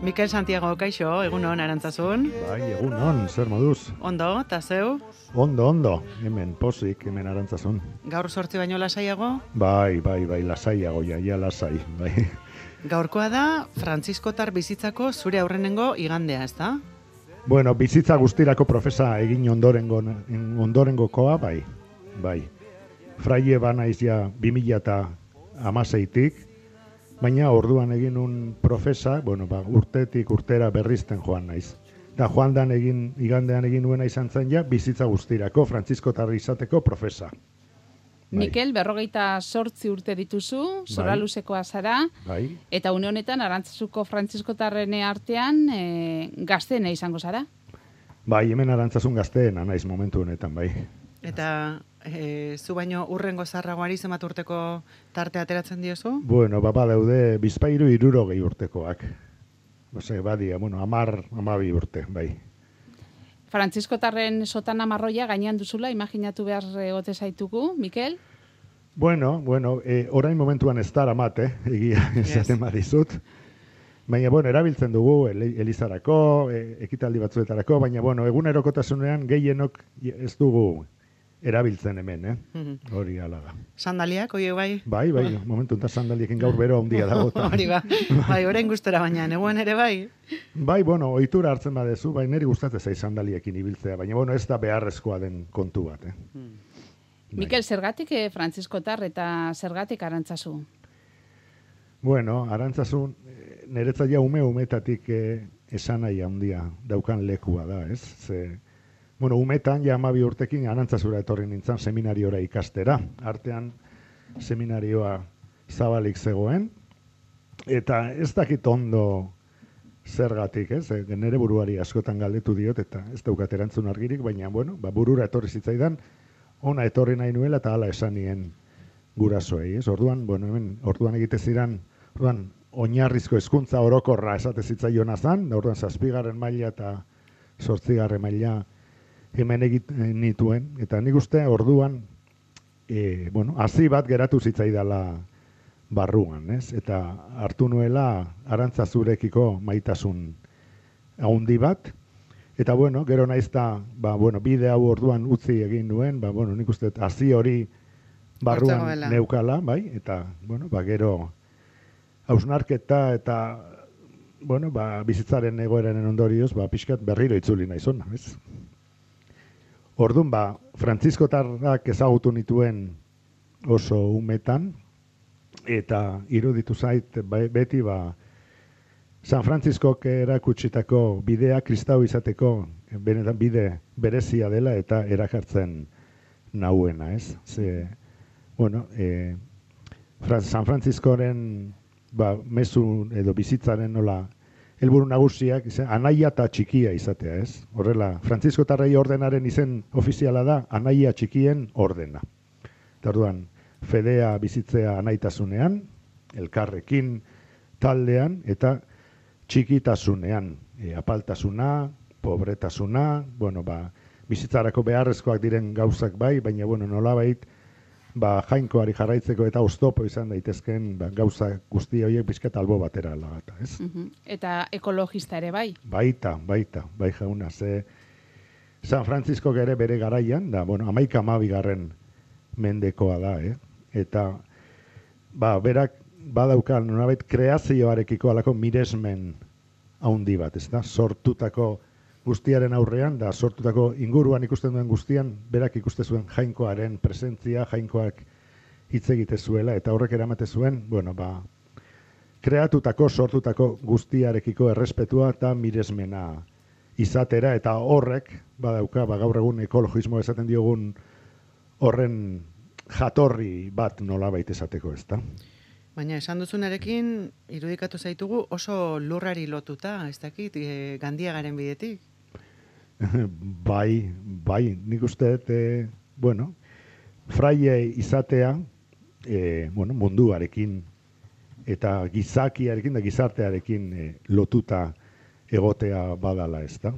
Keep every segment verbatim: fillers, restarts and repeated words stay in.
Mikel Santiago, kaixo, egunon, Arantzasun. Bai, egunon, zer moduz? Ondo, eta zeu? Ondo, ondo, hemen pozik, hemen Arantzasun. Gaur sortzi baino lasaiago? Bai, bai, bai, lasaiago, ja, ja lasai, bai. Gaurkoa da, Frantziskotar bizitzako zure aurrenengo igandea, ez da? Bueno, bizitza guztirako profesa egin ondorengo, ondorengokoa, bai, bai. Fraile banaiz ja bi mila hamaseitik, baina orduan egin un profesa, bueno, ba, urtetik urtera berrizten joan naiz. Da joan dan egin, igandean egin nuena izan zen ja, bizitza guztirako, Frantziskotar izateko profesa. Bai. Mikel, berrogeita sortzi urte dituzu, zora luzekoa zara, bai. Eta une honetan, Arantzazuko Frantziskotarren artean e, gazteena izango zara? Bai, hemen Arantzazun gazteena naiz momentu honetan, bai. Eta e, zu baino urrengo zarragoari zenbat urteko tarte ateratzen diozu? Bueno, baba daude bizpairu hirurogei urtekoak. Ose, badia, bueno, amar, amabi urte, bai. Frantziskotarren sotana marroia gainean duzula, imaginatu behar egote zaitugu, Mikel? Bueno, bueno, e, orain momentuan ez dara mate, egia esaten yes. badizut. Baina, bueno, erabiltzen dugu elizarako, e, ekitaldi batzuetarako, baina, bueno, egunerokotasunean gehienok ez dugu erabiltzen hemen, eh? Mm-hmm. Hori ala da. Sandaliak, oie bai? Bai, bai, momentu enta sandaliekin gaur bero handia dago. Hori ba, bai, orain gustora baina, neguen ere bai? Bai, bueno, ohitura hartzen badezu, bai, niri gustatzen zaiz sandaliekin ibiltzea, baina, bueno, ez da beharrezkoa den kontu bat, eh? Mm. Mikel, zergatik eh, Frantziskotar eta zergatik Arantzazu? Bueno, Arantzazu, niretzat ja ume umetatik eh, esan nahi handia daukan lekua da, ez? Ze, bueno, umetan ja hamabi urtekin Arantzazura etorri nintzen seminariora ikastera. Artean seminarioa zabalik zegoen, eta ez dakit ondo zergatik, ez? E, nere buruari askotan galdetu diot, eta ez daukat erantzun argirik, baina, bueno, ba, burura etorri zitzaidan, ona etorri nahi nuela eta hala esan nien gurasoei, ez? Orduan, bueno, hemen, orduan egite ziren, orduan, oinarrizko hezkuntza orokorra esate zitzaiona zan, orduan zazpigarren maila eta zortzigarren maila hemen egiten nituen, eta nik uste orduan, e, bueno, hazi bat geratu zitzaidala barruan, ez? Eta hartu nuela Arantzazurekiko maitasun handi bat, eta bueno, gero naizta, ba, bueno, bide hau orduan utzi egin nuen, ba, bueno, nik uste hazi hori barruan neukala, bai, eta, bueno, ba, gero hausnarketa eta, bueno, ba, bizitzaren egoeraren ondorioz, ba, pixkat berriro itzuli naizona, ez? Orduan, ba, Frantziskotarrak ezagutu nituen oso umetan, eta iruditu zait beti, ba, San Frantziskok erakutsitako bidea kristau izateko benetan bide berezia dela eta erakartzen nauena, ez? Ze, bueno, e, San Frantziskoren ba, mezu edo bizitzaren nola helburu nagusiak, izan, anaia eta txikia izatea, ez? Horrela, Frantziskotarrei ordenaren izen ofiziala da, anaia txikien ordena. Eta orduan, fedea bizitzea anaitasunean, elkarrekin, taldean, eta txikitasunean, e, apaltasuna, pobretasuna, bueno, ba, bizitzarako beharrezkoak diren gauzak bai, baina, bueno, nolabait, ba, jainkoari jarraitzeko eta oztopo izan daitezken ba, gauza guzti horiek bizkat albo batera lagata, ez? Uh-huh. Eta ekologista ere bai? Baita, baita, bai jauna, ze San Frantziskok ere bere garaian, da, bueno, amaika amabigarren mendekoa da, eh? Eta, ba, berak badaukan, nolabait, kreazioarekiko alako miresmen haundi bat, ez da? Sortutako guztiaren aurrean, da sortutako inguruan ikusten duen guztian, berak ikuste zuen jainkoaren presentzia, jainkoak hitz egite zuela, eta horrek eramate zuen, bueno, ba, kreatutako, sortutako guztiarekiko errespetua eta miresmena izatera, eta horrek, badauka, ba, gaur egun ekologismo esaten diogun horren jatorri bat nolabait esateko, ez da? Baina esan duzunarekin irudikatu zaitugu oso lurrari lotuta, ez dakit, e, Gandiagaren bidetik? Bai, bai, nik uste, e, bueno, fraile izatea, e, bueno, munduarekin eta gizakiarekin da gizartearekin e, lotuta egotea badala, ez da?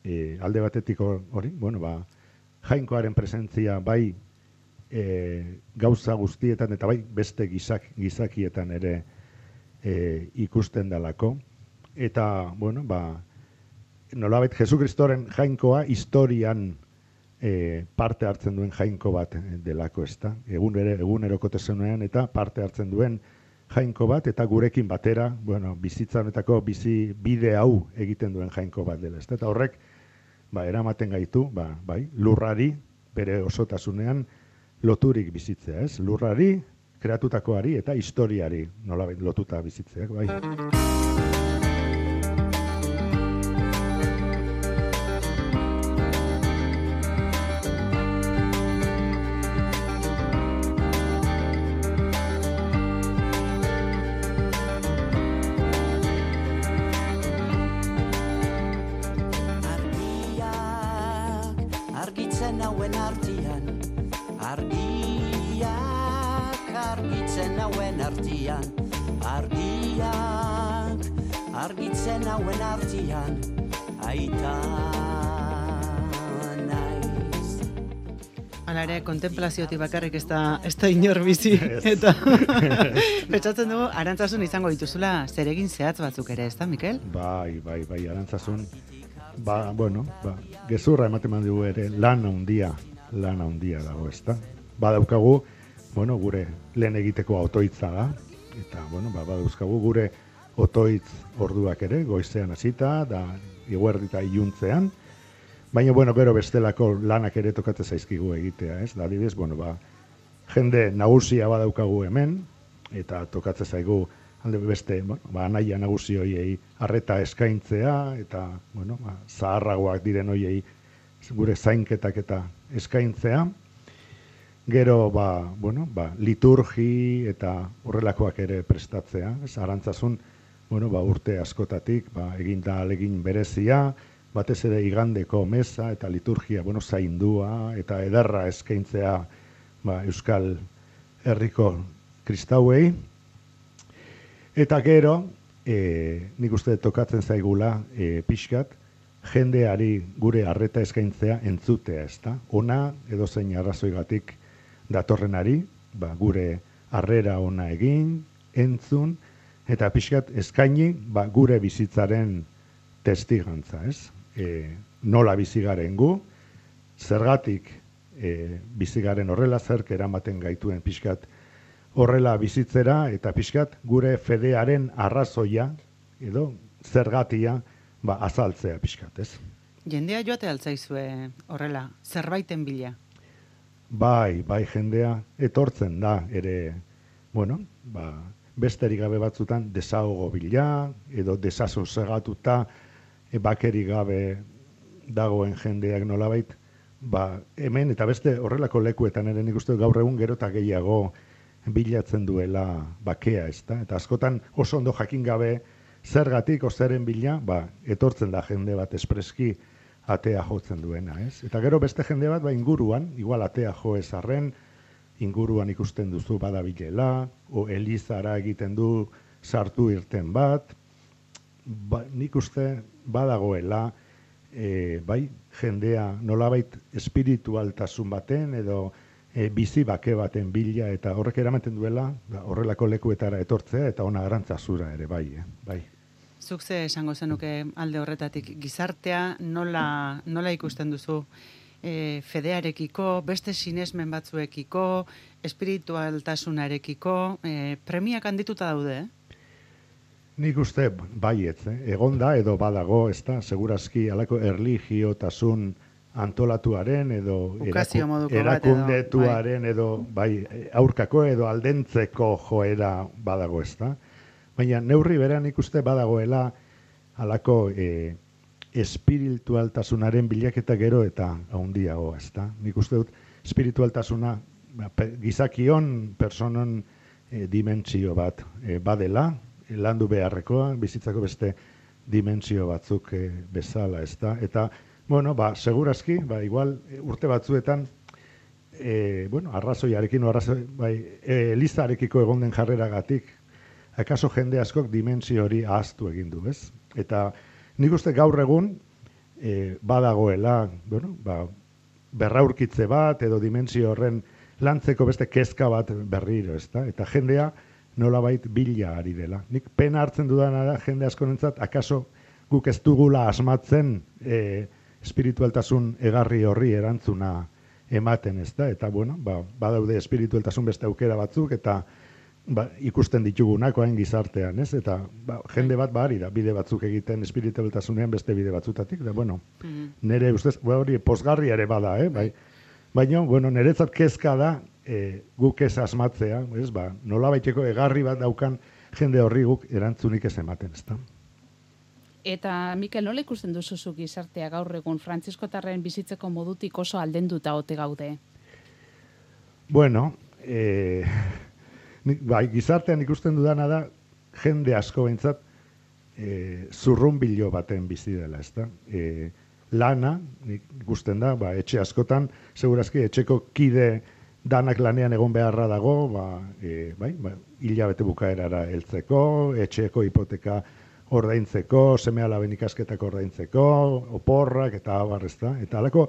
E, alde batetik hori, bueno, ba, jainkoaren presentzia bai e, gauza guztietan eta bai beste gizak, gizakietan ere e, ikusten dalako. eta, bueno, ba, nolabait Jesukristoren jainkoa historian e, parte hartzen duen jainko bat delako, ez da? Egun ere, egunerokotasunean eta parte hartzen duen jainko bat, eta gurekin batera, bueno, bizitza honetako bizi bide hau egiten duen jainko bat dela, ez da? Eta horrek, ba, eramaten gaitu, ba, bai, lurrari, bere osotasunean, loturik bizitzea, ez? Lurrari, kreatutakoari eta historiari nolabait lotuta bizitzeak, bai. Argitzen hauen artian, argiak argitzen hauen artian, argiak argitzen hauen artian, aita naiz. Hala ere, kontemplaziotik bakarrik ez da, ez da inor bizi, eta pentsatzen dugu, Arantzasun izango dituzula zeregin zehatz batzuk ere, ez da, Mikel? Bai, bai, bai, Arantzasun. Ba, bueno, ba, gezurra ematen dugu ere lan handia, lan handia dago, ezta? Ba daukagu, bueno, gure lehen egiteko otoitza da, eta, bueno, ba, badauzkagu gure otoitz orduak ere, goizean hasita, da, iguerdita iluntzean, baina, bueno, gero bestelako lanak ere tokatzen zaizkigu egitea, ez? Da, adibidez, bueno, ba, jende nagusia badaukagu hemen, eta tokatzen zaigu alde beste, bueno, ba, anaia nagusi hoiei arreta eskaintzea, eta, bueno, ba, zaharragoak diren hoiei gure zainketak eta eskaintzea. Gero, ba, bueno, ba, liturgi eta horrelakoak ere prestatzea. Ez, Arantzasun, bueno, ba, urte askotatik, ba, eginda alegin berezia, batez ere igandeko mesa eta liturgia, bueno, zaindua eta ederra eskaintzea, ba, Euskal Herriko kristauei. Eta gero, e, nik uste tokatzen zaigula e, pixkat, jendeari gure arreta eskaintzea entzutea, ezta? Ona edo zein arrazoigatik datorrenari, ba, gure harrera ona egin, entzun, eta pixkat eskaini ba, gure bizitzaren testigantza, ez? E, nola bizigaren gu, zergatik e, bizigaren horrela, zerk eramaten gaituen pixkat horrela bizitzera, eta pixkat gure fedearen arrazoia, edo zergatia, ba, azaltzea pixkat, ez? Jendea joate altzaizue horrela, zerbaiten bila. Bai, bai, jendea etortzen da, ere, bueno, ba, besterik gabe batzutan desahogo bila, edo desasosegatuta, e, bakeri gabe dagoen jendeak nolabait, ba, hemen eta beste horrelako lekuetan ere nik uste gaur egun gero eta gehiago bilatzen duela bakea, ezta? Eta askotan oso ondo jakin gabe zergatik ozeren bila, ba, etortzen da jende bat espreski atea jotzen duena, ez? Eta gero beste jende bat, ba, inguruan, igual atea jo ezarren, inguruan ikusten duzu badabilela, o elizara egiten du sartu irten bat, ba, nik uste badagoela, e, bai, jendea nolabait espiritualtasun baten, edo e, bizi bake baten bila, eta horrek eramaten duela, ba, horrelako lekuetara etortzea, eta ona Arantzazura ere, bai, eh? Bai. Zuk ze esango zenuke alde horretatik, gizartea nola, nola ikusten duzu e, fedearekiko, beste sinesmen batzuekiko, espiritualtasunarekiko, e, premiak handituta daude, eh? Nik uste baietz, eh? Egonda edo badago, ez da, segurazki alako erligiotasun antolatuaren edo Ukazio moduko bat edo, erakundetuaren edo bai, aurkako edo aldentzeko joera badago, ez da. Baina neurri berean ikuste badagoela halako e, espiritualtasunaren bilaketa gero eta handiago, ez da. Nik uste dut espiritualtasuna gizakion personon e, dimentsio bat e, badela, e, landu beharrekoa, bizitzako beste dimentsio batzuk e, bezala, ez da. Eta, bueno, ba, segurazki, ba, igual urte batzuetan, e, bueno, arrazoiarekin, arrazoi, bai, e, elizarekiko egon den jarreragatik, akaso jende askok dimensio hori ahaztu egin du, ez? Eta nik uste gaur egun e, badagoela, bueno, ba, berraurkitze bat edo dimensio horren lantzeko beste kezka bat berriro, ezta? Eta jendea nolabait bila ari dela. Nik pena hartzen dudana da jende askorentzat akaso guk ez dugula asmatzen e, espiritualtasun egarri horri erantzuna ematen, ez da? Eta bueno, ba, badaude espiritualtasun beste aukera batzuk eta ba, ikusten ditugunak hain gizartean, ez? Eta ba, jende bat bari da bide batzuk egiten espiritualtasunean beste bide batzutatik, da bueno, mm-hmm. nire ustez, ba, hori posgarria ere bada, eh? Bai. Baina, bueno, niretzat kezka da e, guk ez asmatzea, ez? Ba, nolabaiteko egarri bat daukan jende horri guk erantzunik ez ematen, ez da? Eta, Mikel, nola ikusten duzuzu gizartea gaur egun frantziskotarren bizitzeko modutik oso aldenduta ote gaude? Bueno, eh, bai, gizartean ikusten dudana da jende asko behintzat eh, zurrunbilo baten bizi dela, ezta? Eh, lana, ikusten da, ba, etxe askotan, segurazki etxeko kide danak lanean egon beharra dago, ba, eh, bai, ba, hilabete bukaerara heltzeko, etxeko hipoteka ordaintzeko, seme-alaben ikasketak ordaintzeko, oporrak eta abar, ezta? Eta halako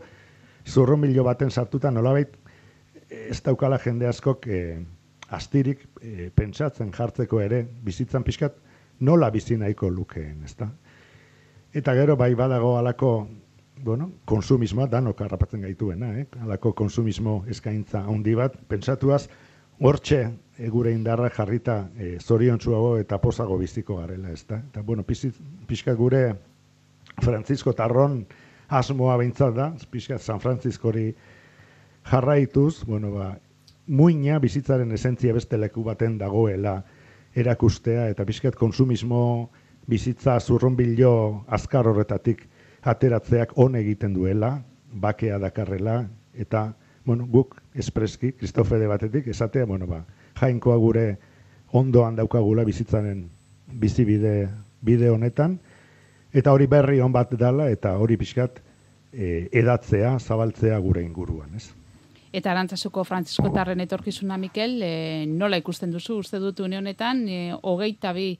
zurrunbilo baten sartuta nolabait ez daukala jende askok eh, astirik eh, pentsatzen jartzeko ere bizitzan pixkat nola bizi nahiko lukeen, ezta? Eta gero bai badago halako, bueno, konsumismoa danok harrapatzen gaituena, eh? Halako konsumismo eskaintza handi bat, pentsatuaz hortxe e, gure indarra jarrita e, zoriontsuago eta pozago biziko garela, ezta? Eta bueno, pixka gure Frantzisko tarron asmoa behintzat da, pixka San Frantziskori jarraituz, bueno, ba, muina bizitzaren esentzia beste leku baten dagoela erakustea, eta pixkat konsumismo bizitza zurrunbilo azkar horretatik ateratzeak on egiten duela, bakea dakarrela, eta bueno, guk espreski, Kristofede batetik, esatea, bueno, ba, jainkoa gure ondoan daukagula bizitzaren bizibide bide honetan, eta hori berri on bat dela, eta hori pixkat e, edatzea, zabaltzea gure inguruan, ez? Eta Arantzazuko frantziskotarren etorkizuna, Mikel, e, nola ikusten duzu, uste dut une honetan, e, hogeita bi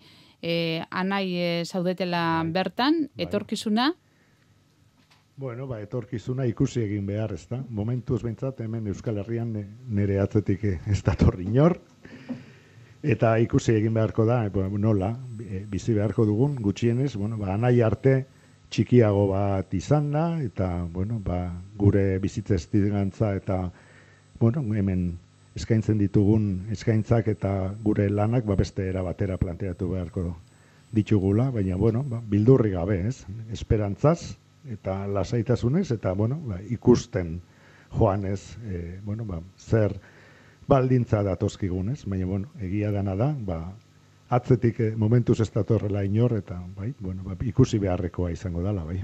e, anai e, zaudetela bai, bertan, etorkizuna? Bueno, ba, etorkizuna ikusi egin behar, ez da? Momentuz behintzat, hemen Euskal Herrian nire atzetik ez dator inor. Eta ikusi egin beharko da, e, nola, bizi beharko dugun, gutxienez, bueno, ba, anai arte txikiago bat izan da, eta, bueno, ba, gure bizitza estigantza eta, bueno, hemen eskaintzen ditugun eskaintzak eta gure lanak, ba, beste era batera planteatu beharko ditugula, baina, bueno, ba, bildurri gabe, ez? Esperantzaz, eta lasaitasunez, eta, bueno, ba, ikusten joanez, e, bueno, ba, zer baldintza datozkigunez, baina, bueno, egia dana da, ba, atzetik e, momentuz ez datorrela inor, eta, bai, bueno, ba, ikusi beharrekoa izango dela, bai.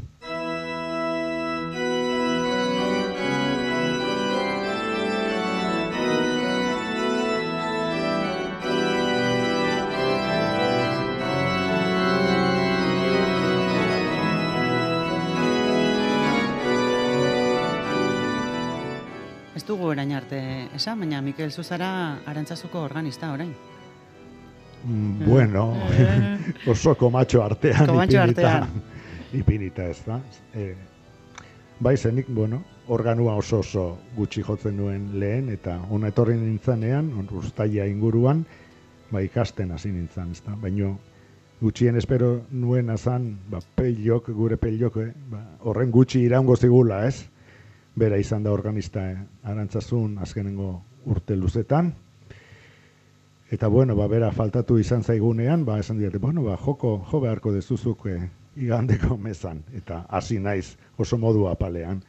Ez dugu orain arte esan, baina Mikel Zuzara Arantzazuko organista orain. Mm, bueno, oso komatxo artean komatxo ipinita, artean. ipinita ez da. E, bai zenik, bueno, organua oso oso gutxi jotzen nuen lehen, eta ona etorri nintzanean, uztaila inguruan, ba, ikasten hasi nintzen, ez da. Baina gutxien espero nuen azan, ba, peilok, gure peilok, eh, ba, horren gutxi iraungo zigula, ez? Bera izan da organista eh, Arantzazun azkenengo urte luzetan. Eta bueno, ba, bera faltatu izan zaigunean, ba, esan diate, bueno, ba, joko, jo beharko dezuzuk eh, igandeko mezan. Eta hasi naiz oso modu apalean,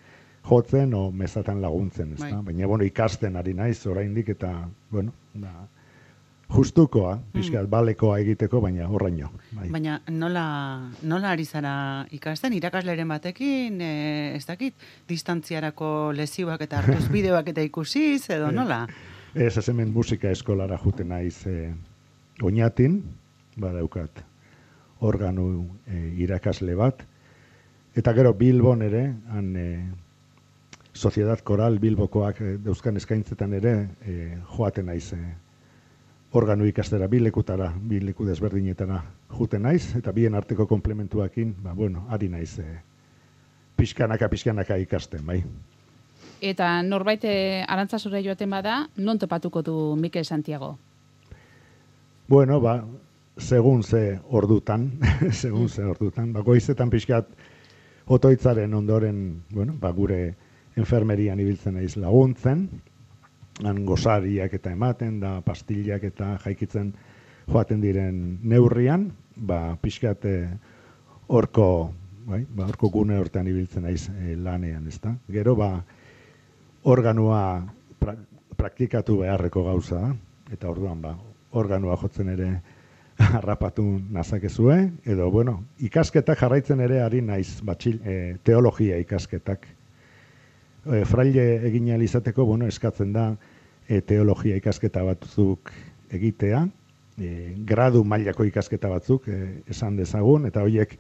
jotzen o mezatan laguntzen, ez da? Baina, bueno, ikasten ari naiz oraindik eta, bueno, da, justukoa, pixkat, mm. balekoa egiteko, baina horraino. Bai. Baina nola, nola ari zara ikasten, irakasleren batekin, e, ez dakit, distantziarako lezioak eta hartuz bideoak eta ikusiz, edo nola? Ez, ez hemen musika eskolara juten naiz e, oinatin, badaukat organu e, irakasle bat, eta gero Bilbon ere, han e, Sociedad Koral Bilbokoak e, dauzkan eskaintzetan ere e, joaten naiz e, organu ikastera, bi lekutara, bi leku desberdinetara juten naiz, eta bien arteko komplementuakin, ba, bueno, ari naiz e, pixkanaka, pixkanaka ikasten, bai. Eta norbait Arantzazura joaten bada, non topatuko du Mikel Santiago? bueno, ba, segun ze ordutan, segun ze ordutan, ba, goizetan pixkat otoitzaren ondoren, bueno, ba, gure enfermerian ibiltzen naiz laguntzen, han gozariak eta ematen, da pastillak eta jaikitzen joaten diren neurrian, ba, pixkat horko, bai, ba, horko gune hortean ibiltzen naiz e, lanean, ezta? Gero, ba, organoa pra, praktikatu beharreko gauza da, eta orduan, ba, organoa jotzen ere harrapatu nazakezue, edo, bueno, ikasketak jarraitzen ere ari naiz, batxil, e, teologia ikasketak. E, fraile egin ahal izateko, bueno, eskatzen da e, teologia ikasketa batzuk egitea, e, gradu mailako ikasketa batzuk e, esan dezagun, eta horiek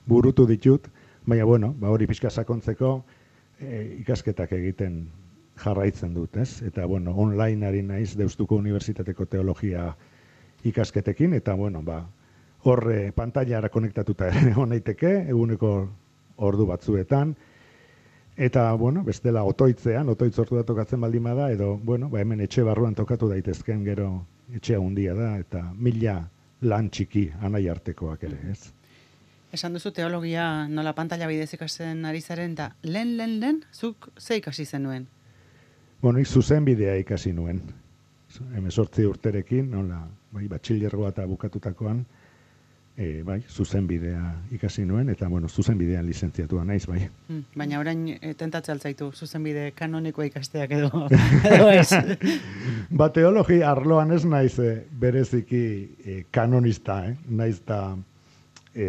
burutu ditut, baina, bueno, ba, hori pixka sakontzeko e, ikasketak egiten jarraitzen dut, ez? Eta, bueno, online ari naiz Deustuko Unibertsitateko teologia ikasketekin, eta, bueno, ba, horre pantailara konektatuta egon naiteke, eguneko ordu batzuetan, eta, bueno, bestela otoitzean, otoitz ordu da tokatzen baldin bada, edo, bueno, ba, hemen etxe barruan tokatu daitezken, gero etxea handia da, eta mila lan txiki anai artekoak ere, ez? Esan duzu teologia nola pantalla bidez ikasen ari zaren, eta lehen, lehen, lehen, zuk ze ikasi zenuen? Bueno, ik zuzen bidea ikasi nuen. Hemezortzi urterekin, nola, bai, batxillergoa eta bukatutakoan, e, bai, zuzen bidea ikasi nuen, eta, bueno, zuzen bidean lizentziatua naiz, bai. Hmm, baina orain e, tentatze altzaitu, zuzen bide kanonikoa ikasteak edo, edo ez. Ba, teologia arloan ez naiz e, bereziki e, kanonista, eh? Naiz da, e,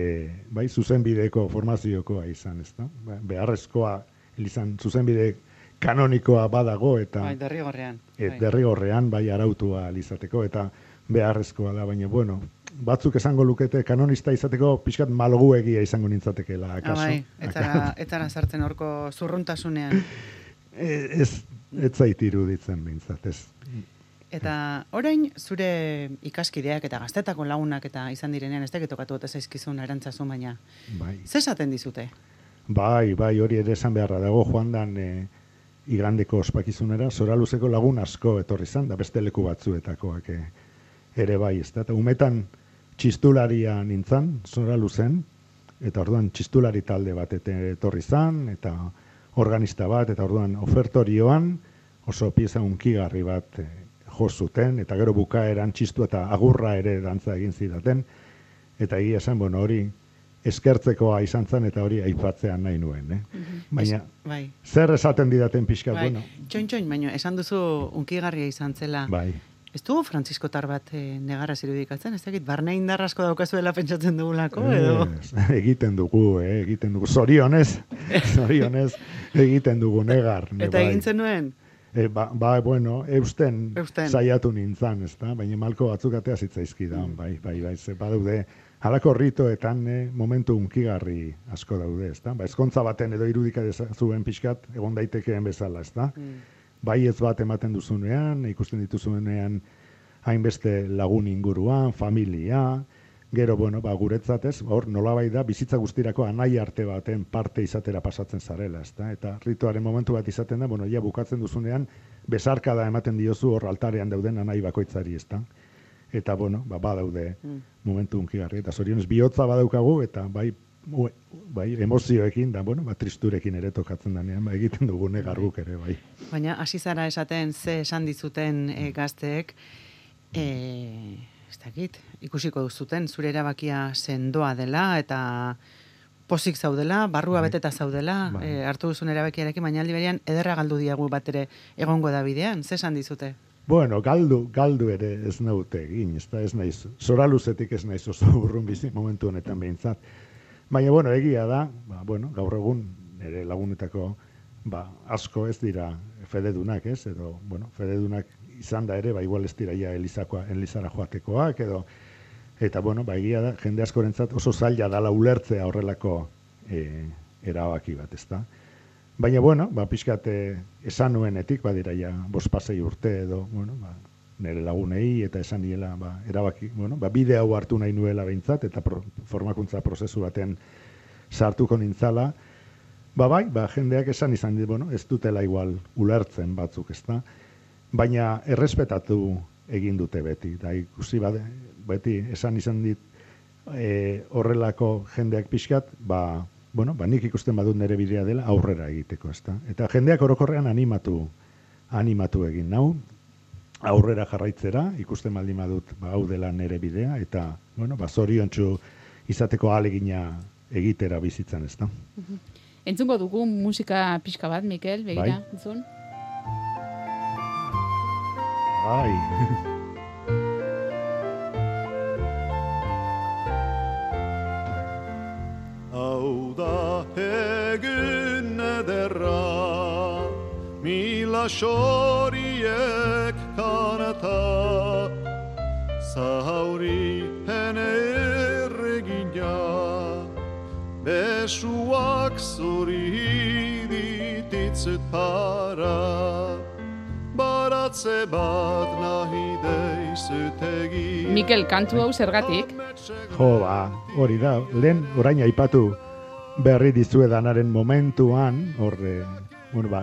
bai, zuzen bideko formaziokoa izan, ez da? Ba, beharrezkoa, izan, zuzen bide kanonikoa badago, eta bai, derrigorrean. Et, derrigorrean, bai, arautua izateko, eta beharrezkoa da, baina, bueno, batzuk esango lukete kanonista izateko pixkat malguegia izango nintzatekeela, akaso. Ah, bai, etzara, etzara sartzen horko zurruntasunean. ez, ez zait iruditzen bintzat, ez. Eta orain zure ikaskideak eta gaztetako lagunak eta izan direnean, ez dakit tokatu eta zaizkizun arantzazu, baina bai. Ze esaten dizute? Bai, bai, hori ere esan beharra dago, joan dan e, igandeko ospakizunera, Zoraluzeko lagun asko etorri zan, da beste leku batzuetakoak e, ere bai, ez da. Eta umetan txistularia nintzan, Zoraluzen, eta orduan txistulari talde bat etorri zan, eta organista bat, eta orduan ofertorioan oso pieza unkigarri bat e, jo zuten, eta gero bukaeran txistu eta agurra ere dantza egin zidaten, eta egia esan, bueno, hori eskertzekoa izan zen, eta hori aipatzean nahi nuen, eh? Mm-hmm. Baina, es, bai. zer esaten didaten pixkat, Bai. bueno? Txoin-txoin, baina esan duzu unkigarria izan zela. Bai. Ez dugu frantziskotar bat e, negarraz irudikatzen, ez dakit, barne indar asko daukazuela pentsatzen dugulako, edo? Ez, egiten dugu, eh, egiten dugu, zorionez, zorionez egiten dugu negar. Ne, Eta bai. egin zenuen? E, ba, ba, bueno, eusten, Eusten. saiatu nintzan, ez da? Baina malko batzuk atea zitzaizkidan, bai, bai, bai, ze badaude, halako ritoetan eh, momentu unkigarri asko daude, ez da? Ba, ezkontza baten edo irudika zuen pixkat, egon daitekeen bezala, ez da? Mm. Bai ez bat ematen duzunean, ikusten dituzunean hainbeste lagun inguruan, familia, gero, bueno, ba, guretzat ez, hor, nolabait da, bizitza guztirako anai arte baten parte izatera pasatzen zarela, ez da? Eta rituaren momentu bat izaten da, bueno, ja bukatzen duzunean, besarkada ematen diozu hor altarean dauden anai bakoitzari, ez da? Eta, bueno, ba, badaude Mm. momentu unkigarri, eta zorionez bihotza badaukagu, eta bai, ue, bai, emozioekin, da, bueno, ba, tristurekin ere tokatzen danean, ba, egiten dugu negarbuk ere, bai. Baina hasi zara esaten ze esan dizuten e, gazteek, e, ez dakit, ikusiko duzuten, zure erabakia sendoa dela, eta pozik zaudela, barrua Bai. beteta zaudela, Bai. e, hartu duzun erabakiarekin, baina aldi berean ederra galdu diagu bat ere egongo da bidean, ze esan dizute? Bueno, galdu, galdu ere ez naute egin, ez da ez naiz, Zoraluzetik ez naiz oso urrun bizi momentu honetan behintzat. Baina, bueno, egia da, ba, bueno, gaur egun ere lagunetako ba, asko ez dira fededunak, ez, edo, bueno, fededunak izan da ere, ba, igual ez dira ja Elizakoa, Elizara joatekoak, edo, eta, bueno, ba, egia da, jende askorentzat oso zaila dala ulertzea horrelako e, erabaki bat, ez da. Baina, bueno, ba, pixkat esan nuenetik, badira ja, bospasei urte edo, bueno, ba, nire lagunei eta esan niela, ba, erabaki, bueno, ba, bide hau hartu nahi nuela behintzat, eta pro, formakuntza prozesu baten sartuko nintzala, ba, bai, ba, jendeak esan izan dit, bueno, ez dutela igual ulertzen batzuk, ezta? Baina errespetatu egin dute beti. Da ikusi bade, beti esan izan dit e, horrelako jendeak pixkat, ba, bueno, ba, nik ikusten badut nire bidea dela aurrera egiteko, ezta? Eta jendeak orokorrean animatu, animatu egin nau, aurrera jarraitzera, ikusten baldin badut ba, hau dela nire bidea, eta, bueno, ba, zoriontsu izateko ahalegina egitera bizitzan, ezta? Entzungo dugu musika pixka bat, Mikel, begira, bai. entzun? Bai. Hau da egun ederra, mila xoriek kanata, zauri hene erregina, besuak zuri dititzut para, baratze bat nahi deizut egin. Mikel, kantu hau zergatik? Jo, ba, hori da, lehen orain aipatu berri dizuedanaren momentuan, horre, bueno, ba,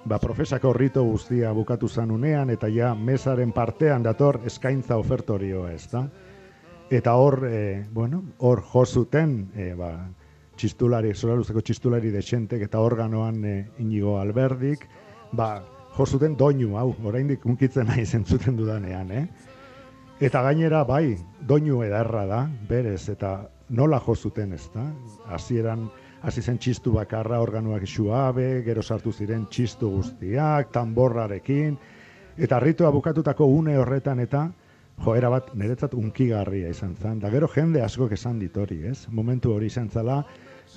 ba, profesako rito guztia bukatu zanunean, eta ja mesaren partean dator eskaintza ofertorioa, ez da? Eta hor, e, bueno, hor jo zuten, e, ba, txistulari, Solaruzeko txistulari dexentek, eta organoan e, Inigo Alberdik, ba, jo zuten doinu, hau, oraindik unkitzen nahi zentzuten dudanean, eh? Eta gainera, bai, doinu edarra da, berez, eta nola jo zuten, ez da? Hasieran hasi zen txistu bakarra, organoak suabe, gero sartu ziren txistu guztiak, tamborrarekin, eta ritua bukatutako une horretan, eta joera bat niretzat unkigarria izan zen. Da gero jende askok esan ditori, ez? Momentu hori izan zela,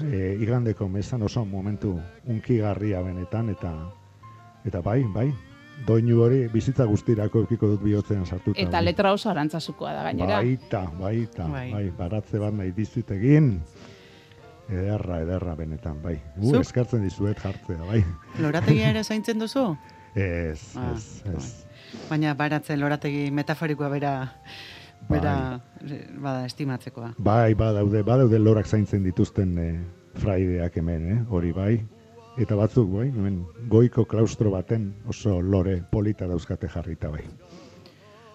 e, igandeko mesan oso momentu unkigarria benetan, eta eta bai, bai, doinu hori bizitza guztirako eukiko dut bihotzean sartuta. Eta letra oso arantzasukoa da gainera. Baita, baita, Bai. bai, baratze bat nahi dizut egin. Ederra, ederra benetan, bai. U, Zuk? eskartzen dizuet jartzea, bai. Lorategia ere zaintzen duzu? Ez, Ah, ez, ez. Baina baratzen lorategi metaforikoa bera, bera bada estimatzekoa. Bai, badaude, badaude lorak zaintzen dituzten e, fraideak hemen, eh? Hori bai. Eta batzuk, bai, hemen goiko klaustro baten oso lore polita dauzkate jarrita, bai.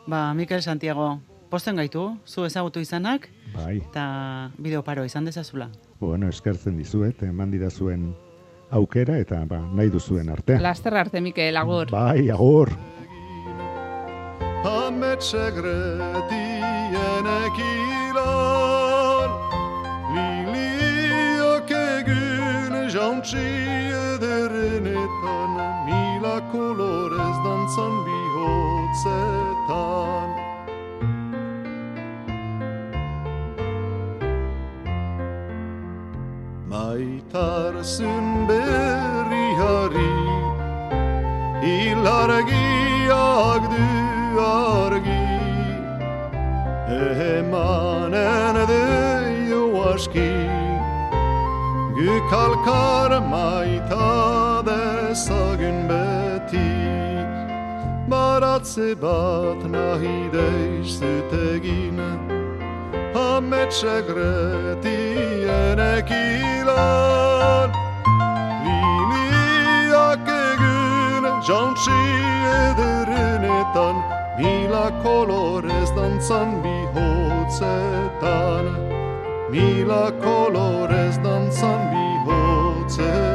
Ba, Mikel Santiago, posten gaitu, zu ezagutu izanak, Bai, eta bideo paro izan dezazula. bueno, eskertzen dizuet, eman didazuen aukera, eta ba, nahi duzuen arte. Laster arte, Mikel, agur. Bai, agur. Ametxegretien ekilan, liliak egin jauntzi ederenetan, mila kolorez dantzan bihotzetan. Maitarzun berriari, hilargiak du argi, emanen deio aski, gükalkar maita dezagun beti, baratze bat nahi deizut egin, ametxegretien ekilan, liliak egin jauntzi ederenetan, mila kolorez dantzan bihotzetan, mila kolorez dantzan bihotzetan.